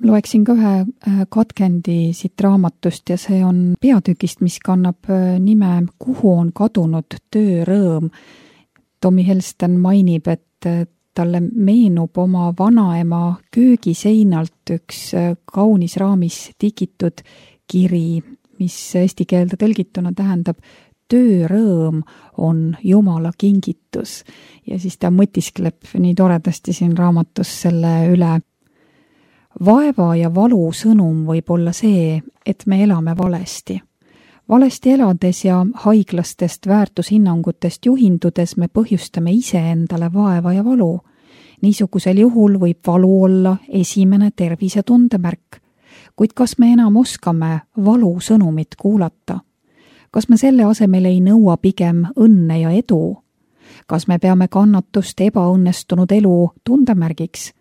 Loeksin ka ühe katkendi siit raamatust ja see on peatükist, mis kannab nime Kuhu on kadunud töörõõm. Tommy Helsten mainib, et talle meenub oma vanaema köögiseinalt üks kaunis raamis tikitud kiri, mis eesti keelde tõlgituna tähendab töörõõm on Jumala kingitus. Ja siis ta mõtiskleb nii toredasti siin raamatus selle üle. Vaeva ja valu sõnum võib olla see, et me elame valesti. Valesti elades ja haiglastest väärtushinnangutest juhindudes me põhjustame ise endale vaeva ja valu. Niisugusel juhul võib valu olla esimene tervisetunde märk. Kuid kas me enam oskame valu sõnumit kuulata? Kas me selle asemel ei nõua pigem õnne ja edu? Kas me peame kannatust ebaõnnestunud elu tundemärgiks?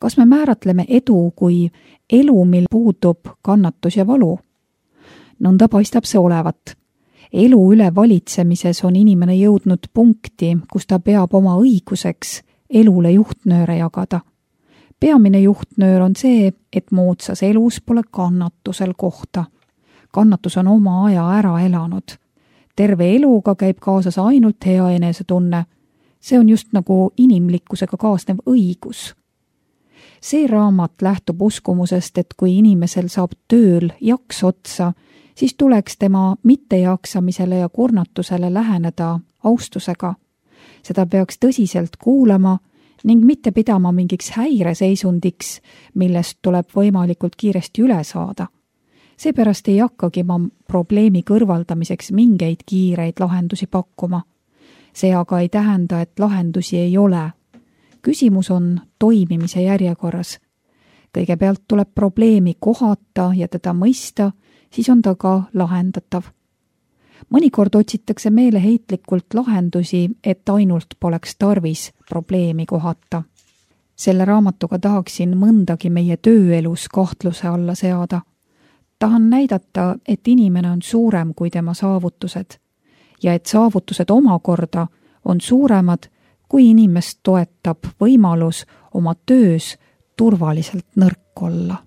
Kas me määratleme edu kui elu, mil puudub kannatus ja valu? Nõnda paistab see olevat. Elu üle valitsemises on inimene jõudnud punkti, kus ta peab oma õiguseks elule juhtnööre jagada. Peamine juhtnöör on see, et moodsas elus pole kannatusel kohta. Kannatus on oma aja ära elanud. Terve eluga käib kaasas ainult hea enesetunne. See on just nagu inimlikkusega kaasnev õigus. See raamat lähtub uskumusest, et kui inimesel saab tööl jaks otsa, siis tuleks tema mittejaksamisele ja kurnatusele läheneda austusega. Seda peaks tõsiselt kuulama ning mitte pidama mingiks häireseisundiks, millest tuleb võimalikult kiiresti üle saada. Seepärast ei hakkagi ma probleemi kõrvaldamiseks mingeid kiireid lahendusi pakkuma. See aga ei tähenda, et lahendusi ei ole. Küsimus on toimimise järjekorras. Kõigepealt tuleb probleemi kohata ja teda mõista, siis on ta ka lahendatav. Mõnikord otsitakse meeleheitlikult lahendusi, et ainult poleks tarvis probleemi kohata. Selle raamatuga tahaksin mõndagi meie tööelus kahtluse alla seada. Tahan näidata, et inimene on suurem kui tema saavutused ja et saavutused omakorda on suuremad, kui inimest toetab võimalus oma töös turvaliselt nõrk olla.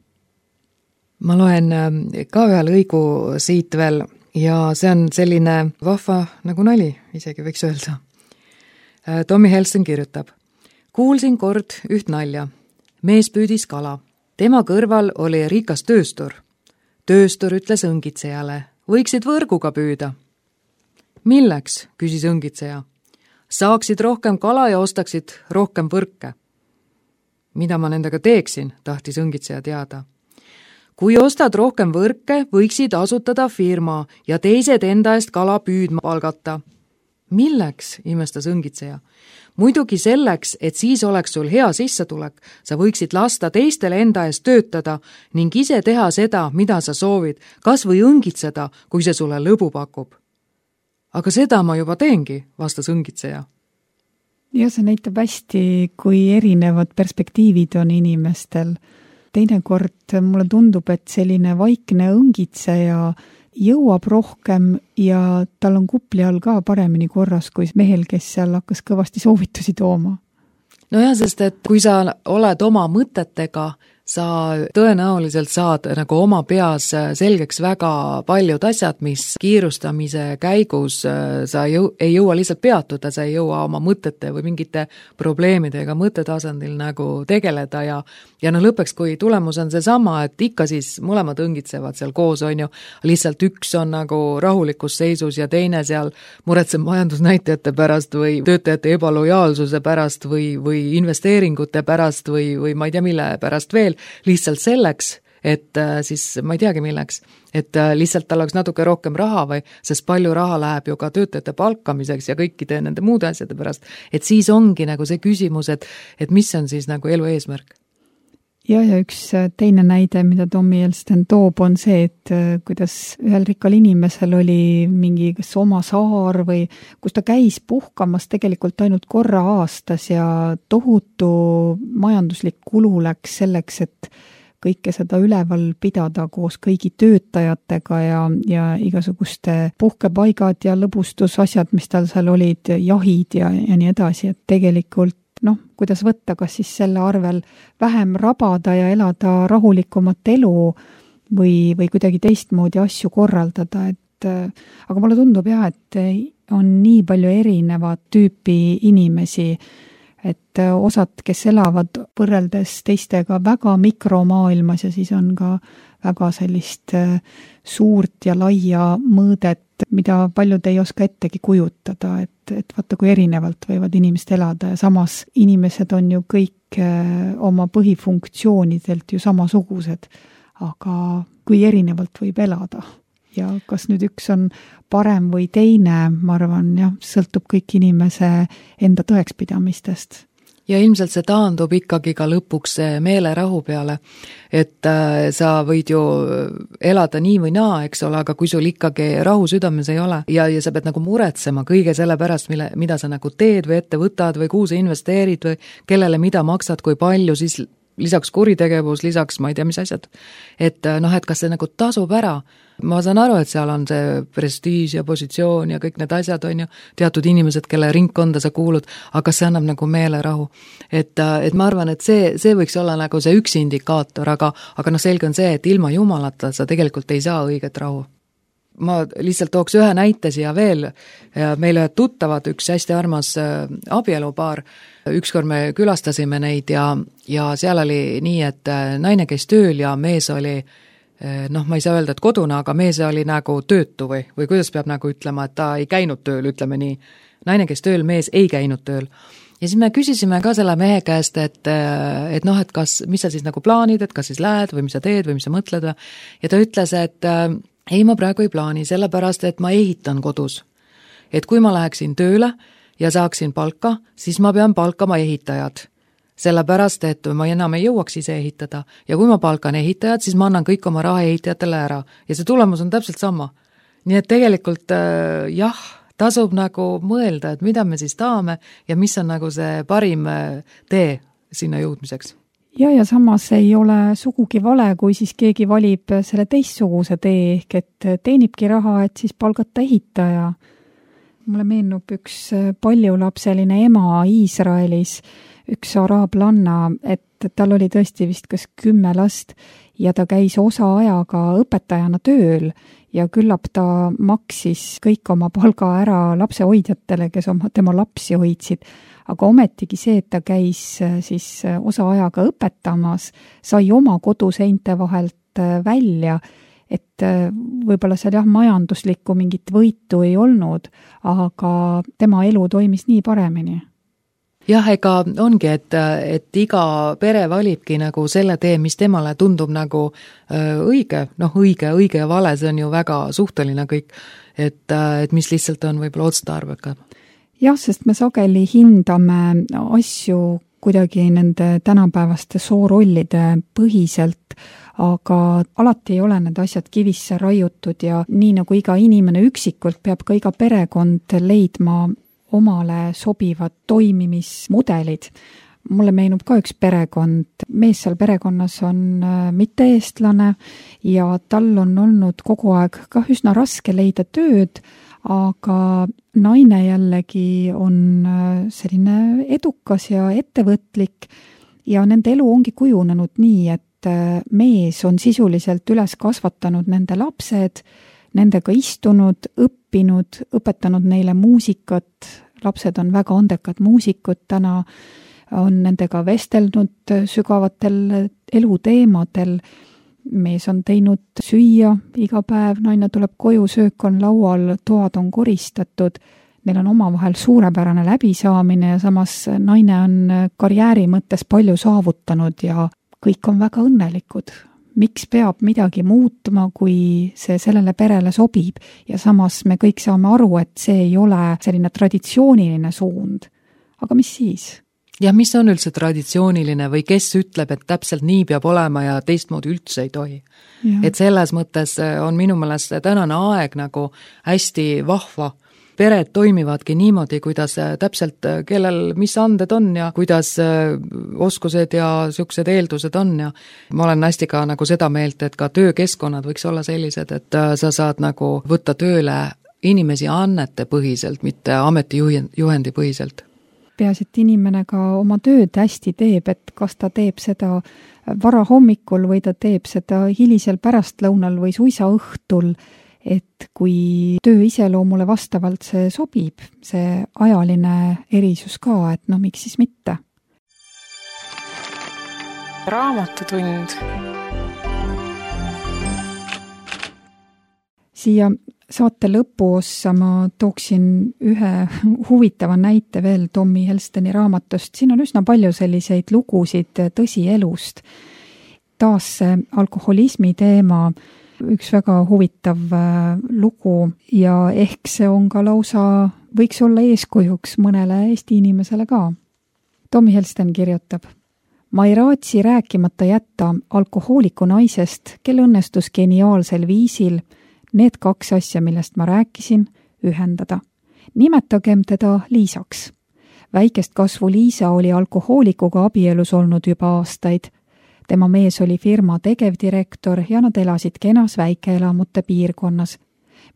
ma loen ka ühe lõigu siit veel ja see on selline vahva nagu nali, isegi võiks öelda. Tommy Helston kirjutab. Kuulsin kord üht nalja. Mees püüdis kala. Tema kõrval oli rikas tööstur. Tööstur ütles õngitsejale, võiksid võrguga püüda. Milleks, küsis õngitseja. Saaksid rohkem kala ja ostaksid rohkem võrke. Mida ma nendega teeksin, tahtis õngitseja teada. Kui ostad rohkem võrke, võiksid asutada firma ja teised enda eest kala püüdma palgata. Milleks, imestas õngitseja? Muidugi selleks, et siis oleks sul hea sissetulek, sa võiksid lasta teistele enda eest töötada ning ise teha seda, mida sa soovid, kas või õngitseda, kui see sulle lõbu pakub. Aga seda ma juba teengi, vastas õngitseja. Ja see näitab hästi, kui erinevad perspektiivid on inimestel. Teinekord mulle tundub, et selline vaikne õngitseja jõuab rohkem ja tal on kupli all ka paremini korras kui mehel, kes seal hakkas kõvasti soovitusi tooma. No jah, sest et kui sa oled oma mõtetega, sa tõenäoliselt saad nagu oma peas selgeks väga paljud asjad, mis kiirustamise käigus sa jõu, ei jõua lihtsalt peatuda, sa ei jõua oma mõtete või mingite probleemidega mõttetasandil nagu tegeleda ja ja no lõpuks, kui tulemus on see sama, et ikka siis mõlemad õngitsevad seal koos, on ju, lihtsalt üks on nagu rahulikus seisus ja teine seal muretseb majandusnäitajate pärast või töötajate ebalojaalsuse pärast või, või investeeringute pärast või, või ma ei tea mille pärast veel, lihtsalt selleks, et siis ma ei teagi milleks, et lihtsalt tal oleks natuke rohkem raha või, sest palju raha läheb ju ka töötajate palkamiseks ja kõikide nende muude asjade pärast, et siis ongi nagu see küsimus, et, et mis on siis nagu elu eesmärk. Ja, ja üks teine näide, mida Tommy Helston toob, on see, et kuidas ühel rikkal inimesel oli mingi kas oma saar või kus ta käis puhkamas tegelikult ainult korra aastas ja tohutu majanduslik kulu läks selleks, et kõike seda üleval pidada koos kõigi töötajatega ja, ja igasuguste puhkepaigad ja lõbustusasjad, mis tal seal olid, jahid ja, ja nii edasi, et tegelikult noh, kuidas võtta, kas siis selle arvel vähem rabada ja elada rahulikumat elu või, või kuidagi teistmoodi asju korraldada, et aga mulle tundub jah, et on nii palju erinevat tüüpi inimesi, et osad, kes elavad võrreldes teistega väga mikromaailmas ja siis on ka väga sellist suurt ja laia mõõdet, mida paljud ei oska ettegi kujutada, et, et vaata, kui erinevalt võivad inimesed elada ja samas inimesed on ju kõik oma põhifunktsioonidelt ju samasugused, aga kui erinevalt võib elada ja kas nüüd üks on parem või teine, ma arvan, jah, sõltub kõik inimese enda tõekspidamistest. Ja ilmselt see taandub ikkagi ka lõpuks meelerahu peale, et äh, sa võid ju elada nii või naa, eks ole, aga kui sul ikkagi rahu südames ei ole ja, ja sa pead nagu muretsema kõige selle pärast, mille, mida sa nagu teed või ette võtad või kuhu sa investeerid või kellele mida maksad, kui palju, siis lisaks kuritegevus, lisaks ma ei tea, mis asjad. Et noh, et kas see nagu tasub ära? Ma saan aru, et seal on see prestiiž ja positsioon ja kõik need asjad on ju, teatud inimesed, kelle ringkonda sa kuulud, aga see annab nagu meelerahu. Et, et ma arvan, et see, see võiks olla nagu see üks indikaator, aga, aga noh, selge on see, et ilma jumalata sa tegelikult ei saa õiget rahu. Ma lihtsalt tooks ühe näite siia veel, meile tuttavad üks hästi armas abielupaar, ükskord me külastasime neid ja, ja seal oli nii, et naine käis tööl ja mees oli noh, ma ei saa öelda, et kodune, aga mees oli nagu töötu või, või kuidas peab nagu ütlema, et ta ei käinud tööl, ütleme nii. Naine käis tööl, mees ei käinud tööl. Ja siis me küsisime ka selle mehe käest, et, et noh, et kas, mis sa siis nagu plaanid, et kas siis lähed või mis sa teed või mis sa mõtled. Ja ta ütles, et ei, ma praegu ei plaani, sellepärast, et ma ehitan kodus. Et kui ma läheksin tööle ja saaksin palka, siis ma pean palkama ehitajad. Sellepärast, et ma enam ei jõuaks ise ehitada ja kui ma palkan ehitajad, siis ma annan kõik oma raha ehitajatele ära ja see tulemus on täpselt sama. Nii et tegelikult äh, jah, tasub nagu mõelda, et mida me siis tahame ja mis on nagu see parim tee sinna jõudmiseks. Ja, ja samas ei ole sugugi vale, kui siis keegi valib selle teistsuguse tee ehk et teenibki raha, et siis palgata ehitaja. Mulle meenub üks paljulapseline ema Iisraelis, üks araablanna, et tal oli tõesti vist kas kümme last ja ta käis osaajaga õpetajana tööl ja küllap ta maksis kõik oma palga ära lapsehoidjatele, kes oma, tema lapsi hoidsid. Aga ometigi see, et ta käis siis osaajaga õpetamas, sai oma koduseinte vahelt välja, et võib-olla seal jah, majanduslikku mingit võitu ei olnud, aga tema elu toimis nii paremini. Jah, ega ongi, et, et iga pere valibki nagu selle tee, mis temale tundub nagu õige, noh õige, õige ja vale, see on ju väga suhteline kõik, et, et mis lihtsalt on võib-olla otstarbekam. Jah, sest me sageli hindame asju kuidagi nende tänapäevaste soorollide põhiselt, aga alati ei ole need asjad kivisse raiutud ja nii nagu iga inimene üksikult peab ka iga perekond leidma omale sobivad toimimismudelid. Mulle meenub ka üks perekond, mees seal perekonnas on mitte-eestlane ja tal on olnud kogu aeg ka üsna raske leida tööd, aga naine jällegi on selline edukas ja ettevõtlik ja nende elu ongi kujunenud nii, et mees on sisuliselt üles kasvatanud nende lapsed, nendega istunud, õppinud, õpetanud neile muusikat, lapsed on väga andekad muusikud, täna on nendega vestelnud sügavatel eluteemadel, mees on teinud süüa iga päev, naine tuleb koju, söök on laual, toad on koristatud, neil on omavahel suurepärane läbisaamine ja samas naine on karjääri mõttes palju saavutanud ja kõik on väga õnnelikud. Miks peab midagi muutuma, kui see sellele perele sobib ja samas me kõik saame aru, et see ei ole selline traditsiooniline suund. Aga mis siis? Ja mis on üldse traditsiooniline või kes ütleb, et täpselt nii peab olema ja teistmoodi üldse ei tohi. Ja. Et selles mõttes on minu meelest tänane aeg nagu hästi vahva. Pered toimivadki niimoodi, kuidas täpselt kellel mis anded on ja kuidas oskused ja siuksed eeldused on ja ma olen hästi ka nagu seda meelt, et ka töökeskkonnad võiks olla sellised, et sa saad nagu võtta tööle inimesi annete põhiselt, mitte ametijuhendi põhiselt. Peaasi, et inimene ka oma tööd hästi teeb, et kas ta teeb seda vara hommikul või ta teeb seda hilisel pärastlõunal või suisa õhtul, et kui töö iseloomule vastavalt see sobib, see ajaline erisus ka, et no miks siis mitte. Raamatutund. Siia saate lõpuossa ma tooksin ühe huvitava näite veel Tommy Helsteni raamatust. Siin on üsna palju selliseid lugusid tõsielust. Taas see alkoholismi teema, üks väga huvitav lugu ja ehk see on ka lausa, võiks olla eeskujuks mõnele Eesti inimesele ka. Tommy Helsten kirjutab: ma ei raatsi rääkimata jätta alkohooliku naisest, kel õnnestus geniaalsel viisil need kaks asja, millest ma rääkisin, ühendada. Nimetagem teda Liisaks. Väikest kasvu Liisa oli alkohoolikuga abielus olnud juba aastaid. Tema mees oli firma tegevdirektor ja nad elasid kenas väikeelamute piirkonnas.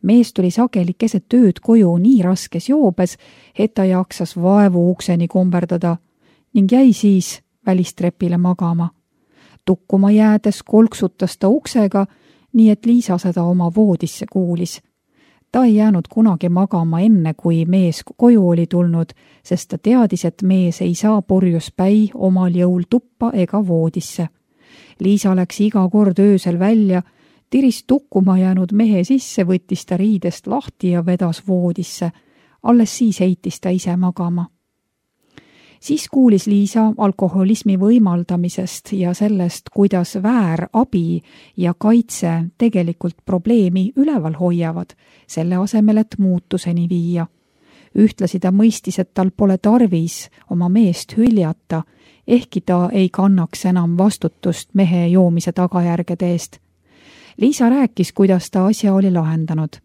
Mees tuli sageli keset tööd koju nii raskes joobes, et ta jaksas vaevu ukseni komberdada ning jäi siis välistrepile magama. Tukkuma jäädes kolksutas ta uksega, nii et Liisa seda oma voodisse kuulis. Ta ei jäänud kunagi magama enne, kui mees koju oli tulnud, sest ta teadis, et mees ei saa purjus päi omal jõul tuppa ega voodisse. Liisa läks iga kord öösel välja, tiris tukkuma jäänud mehe sisse, võttis ta riidest lahti ja vedas voodisse. Alles siis heitis ta ise magama. Siis kuulis Liisa alkoholismi võimaldamisest ja sellest, kuidas väär abi ja kaitse tegelikult probleemi üleval hoiavad, selle asemel, et muutuseni viia. Ühtlasi ta mõistis, et tal pole tarvis oma meest hüljata, ehkki ta ei kannaks enam vastutust mehe joomise tagajärgede eest. Liisa rääkis, kuidas ta asja oli lahendanud.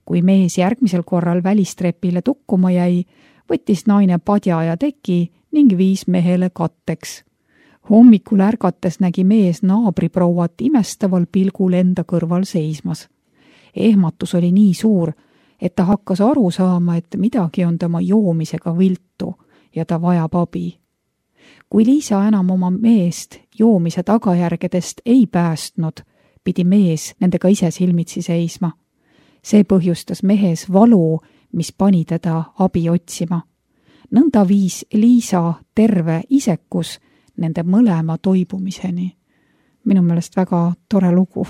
Kui mees järgmisel korral välistrepile tukkuma jäi, võttis naine padja ja teki ning viis mehele katteks. Hommikul ärgates nägi mees naabriprouat imestaval pilgul enda kõrval seismas. Ehmatus oli nii suur, et ta hakkas aru saama, et midagi on tema joomisega viltu ja ta vajab abi. kui Liisa enam oma meest joomise tagajärgedest ei päästnud, pidi mees nendega ise silmitsi seisma. See põhjustas mehes valu, mis pani teda abi otsima. Nõnda viis Liisa terve isekus nende mõlema toibumiseni. Minu meelest väga tore lugu.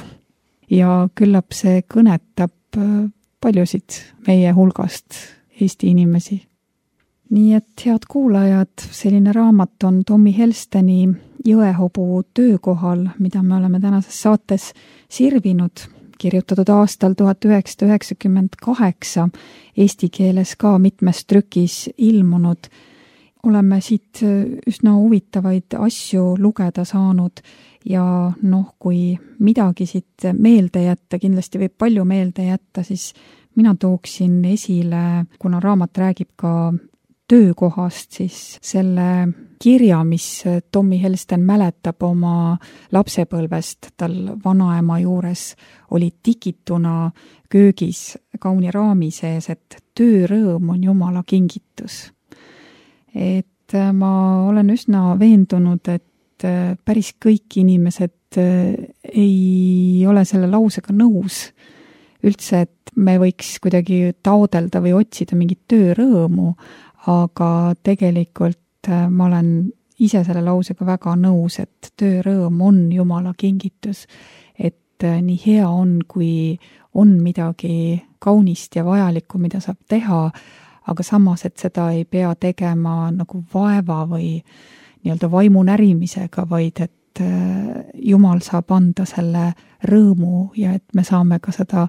Ja küllap see kõnetab paljusid meie hulgast Eesti inimesi. Nii et head kuulajad, selline raamat on Tommy Helsteni Jõehobu töökohal, mida me oleme tänases saates sirvinud, kirjutatud aastal tuhat üheksasada üheksakümmend kaheksa, eesti keeles ka mitmes trükis ilmunud. Oleme siit üsna huvitavaid asju lugeda saanud ja noh, kui midagi siit meelde jätta, kindlasti võib palju meelde jätta, siis mina tooksin esile, kuna raamat räägib ka töökohast, siis selle kirja, mis Tommy Helsten mäletab oma lapsepõlvest, tal vanaema juures oli tikituna köögis kauni raami sees, et töörõõm on Jumala kingitus. Et ma olen üsna veendunud, et päris kõik inimesed ei ole selle lausega nõus. Üldse, et me võiks kuidagi taodelda või otsida mingit töörõõmu, aga tegelikult ma olen ise selle lausega väga nõus, et töörõõm on Jumala kingitus, et nii hea on, kui on midagi kaunist ja vajalikku, mida saab teha, aga samas, et seda ei pea tegema nagu vaeva või nii-öelda vaimu närimisega, vaid et Jumal saab anda selle rõõmu ja et me saame ka seda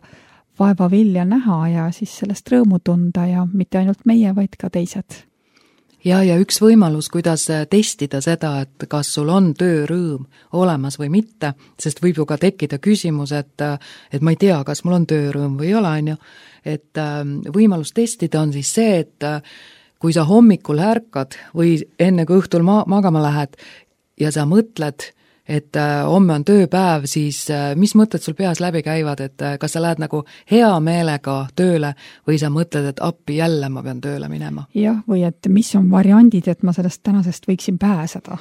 vaeva vilja näha ja siis sellest rõõmu tunda ja mitte ainult meie, vaid ka teised. Ja, ja üks võimalus, kuidas testida seda, et kas sul on töörõõm olemas või mitte, sest võib ju ka tekkida küsimus, et, et ma ei tea, kas mul on töörõõm või ei ole, on ju. Et võimalus testida on siis see, et kui sa hommikul ärkad või enne kui õhtul ma- magama lähed ja sa mõtled, et homme on tööpäev, siis mis mõtted sul peas läbi käivad, et kas sa lähed nagu hea meelega tööle või sa mõtled, et appi jälle ma pean tööle minema? Jah, või et mis on variandid, et ma sellest tänasest võiksin pääseda.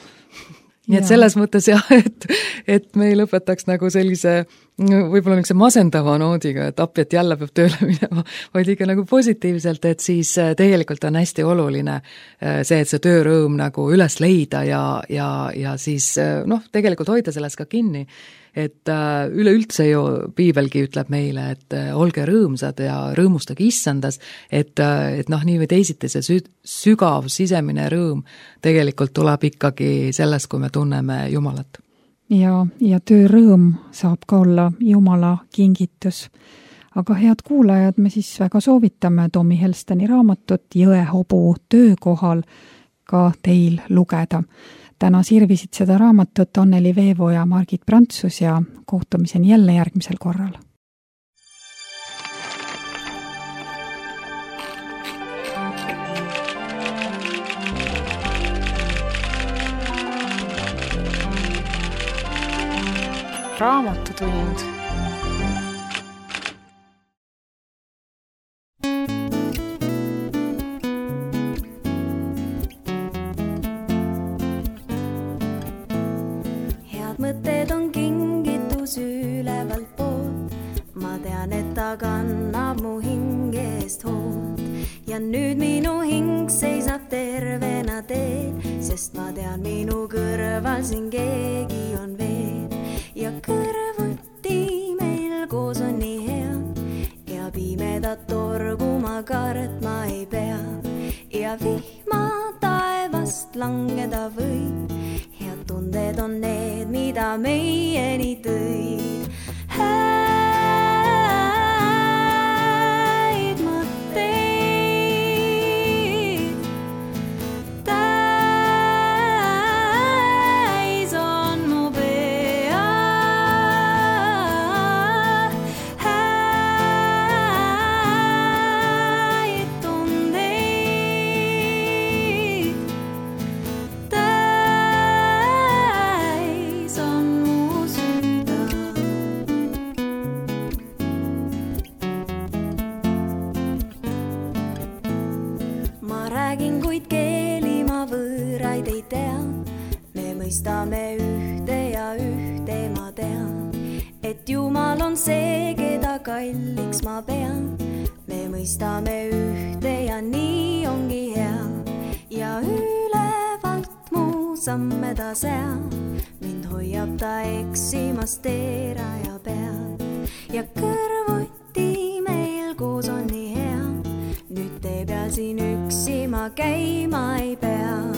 Nii et selles mõttes jah, et, et me ei lõpetaks nagu sellise võib-olla niisuguse masendava noodiga, et appi, et jälle peab tööle minema, vaid ikka nagu positiivselt, et siis tegelikult on hästi oluline see, et see töörõõm nagu üles leida ja, ja, ja siis noh, tegelikult hoida sellest ka kinni, et üleüldse ju piibelgi ütleb meile, et olge rõõmsad ja rõõmustage issandas, et, et noh, nii või teisiti see sü- sügav sisemine rõõm tegelikult tuleb ikkagi sellest, kui me tunneme Jumalat. Ja, ja töörõõm saab ka olla Jumala kingitus. Aga head kuulajad, me siis väga soovitame Tommy Helsteni raamatut Jõehobu töökohal ka teil lugeda. Täna sirvisid seda raamatut Anneli Veevo ja Margit Prantsus ja kohtumiseni jälle järgmisel korral. Raamatutund. Mõtted on kingitus ülevalt poolt, ma tean, et ta kannab mu hingest hoolt ja nüüd minu hing seisab tervena teel, sest ma tean, minu kõrval siin keegi on veel ja kõrvuti meil koos on nii hea ja pimedat torgu ma kartma ei pea ja vihma taevast langeda võib. Tunded on need, mida meieni tõid. Häid mõtteid täis on mu pea. Häid tundeid räägin, kuid keeli ma võõraid ei tea. mõistame ühte ja ühte ma tean, et Jumal on see, keda kalliks ma pean. Me mõistame ühte ja nii ongi hea ja ülevalt mu samme ta seab. Mind hoiab ta eksimast teeraja peal ja kõrvuti meil koos on nii hea. Nüüd tee peal siin üksi ma käima ei pea.